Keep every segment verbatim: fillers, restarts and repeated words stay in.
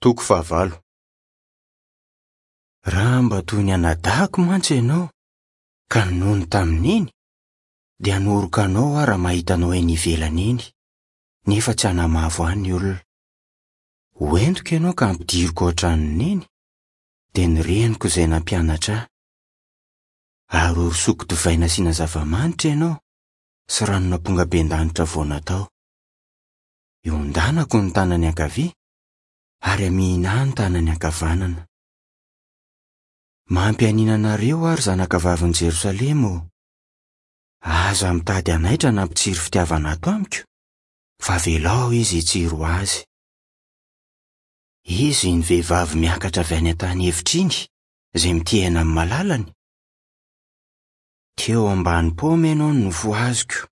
Toko fahavalo. Raha mba toy ny anadahako mantsy ianao, ka ninono tamin'iny, dia hanoroka anao aho raha mahita anao eny ivelany eny, nefa tsy hanamavo ahy ny olona. Ho entiko ianao ka hampidiriko ao an-tranony eny, dia ny reniko izay nampianatra ahy. Ary horosoako divay nasiana zava-manitra ianao, sy ranon'ampongabendanitra vao natao. Iondanako ny tanany ankavia, ary hamihina ahy ny tanany ankavanana. Mampianiana anareo aho, ry zanakavavin'i Jerosalema ô! Aza mitady hanaitra na hampitsiry fitiavana ato amiko, fa avelao izy hitsiry ho azy. Izy iny vehivavy miakatra avy any an-tany efitra iny, izay mitehina amin'ny malalany. Teo ambany paoma ianao no nofohaziko.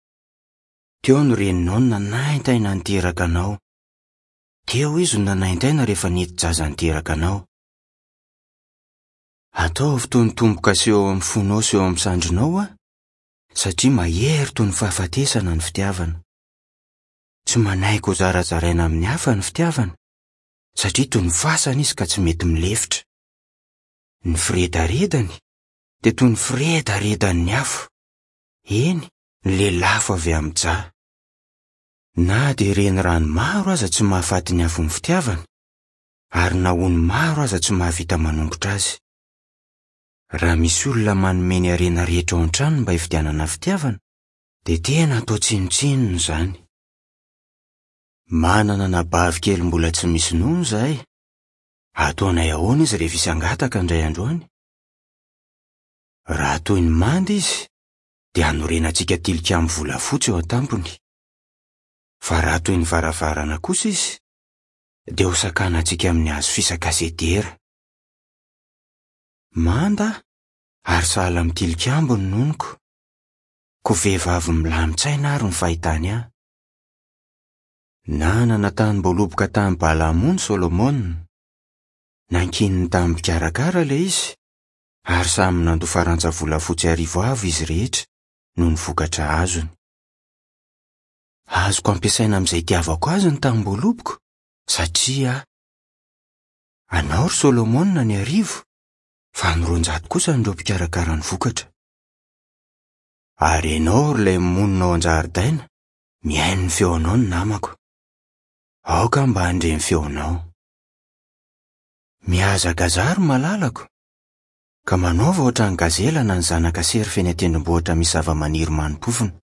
Teo ny reninao no nanaintaina niteraka anao. Teo izy no nanaintaina rehefa nety-jaza niteraka anao. Ataovy toy ny tombo-kase eo amin'ny fonao sy eo amin'ny sandrinao aho, satria mahery toy ny fahafatesana ny fitiavana. Tsy manaiky ho zarazaraina amin'ny hafa ny fitiavana, satria toy ny fasana izy ka tsy mety milefitra. Ny firedaredany dia toy ny firedaredan'ny afo, eny, ny lelafo avy amin'ny Jah. Na dia renirano maro aza tsy mahafaty ny afon'ny fitiavana, ary na ony maro aza tsy mahavita manongotra azy. Raha misy olona manome ny harena rehetra ao an-tranony mba hividianana fitiavana, dia tena atao tsinontsinona izany. Manana anabavy kely mbola tsy misy nono izahay. Ataonay ahoana izy rehefa hisy hangataka indray andro any? Raha toy ny manda izy, dia hanorenantsika tilikambo volafotsy eo an-tampony. Fa raha toy ny varavarana kosa izy, dia hosakanantsika amin'ny hazo fisaka sedera. Manda ary sahala amin'ny tilikambo ny nonoko. Koa vehivavy milamin-tsaina ary ny fahitany ahy. Nanana tanim-boaloboka tany Balamony Solomona. Nankininy tamin'ny mpikarakara ilay izy, ary samy nandoa farantsa volafotsy arivo avy izy rehetra noho ny vokatra azony. Azoko ampiasaina amin'izay itiavako azy ny tanim-boaloboko, satria anao ry Solomona ny arivo, fa ny roanjato kosa ireo mpikarakara ny vokatra. Ary ianao ry ilay monina ao an-jaridaina, mihaino ny feonao ny namako. Aoka mba handre ny feonao. Mihazakazaha ry malalako, ka manaova ohatran'ny gazela na ny zanaka serfa eny an-tendrombohitra misy zava-maniry manim-pofona.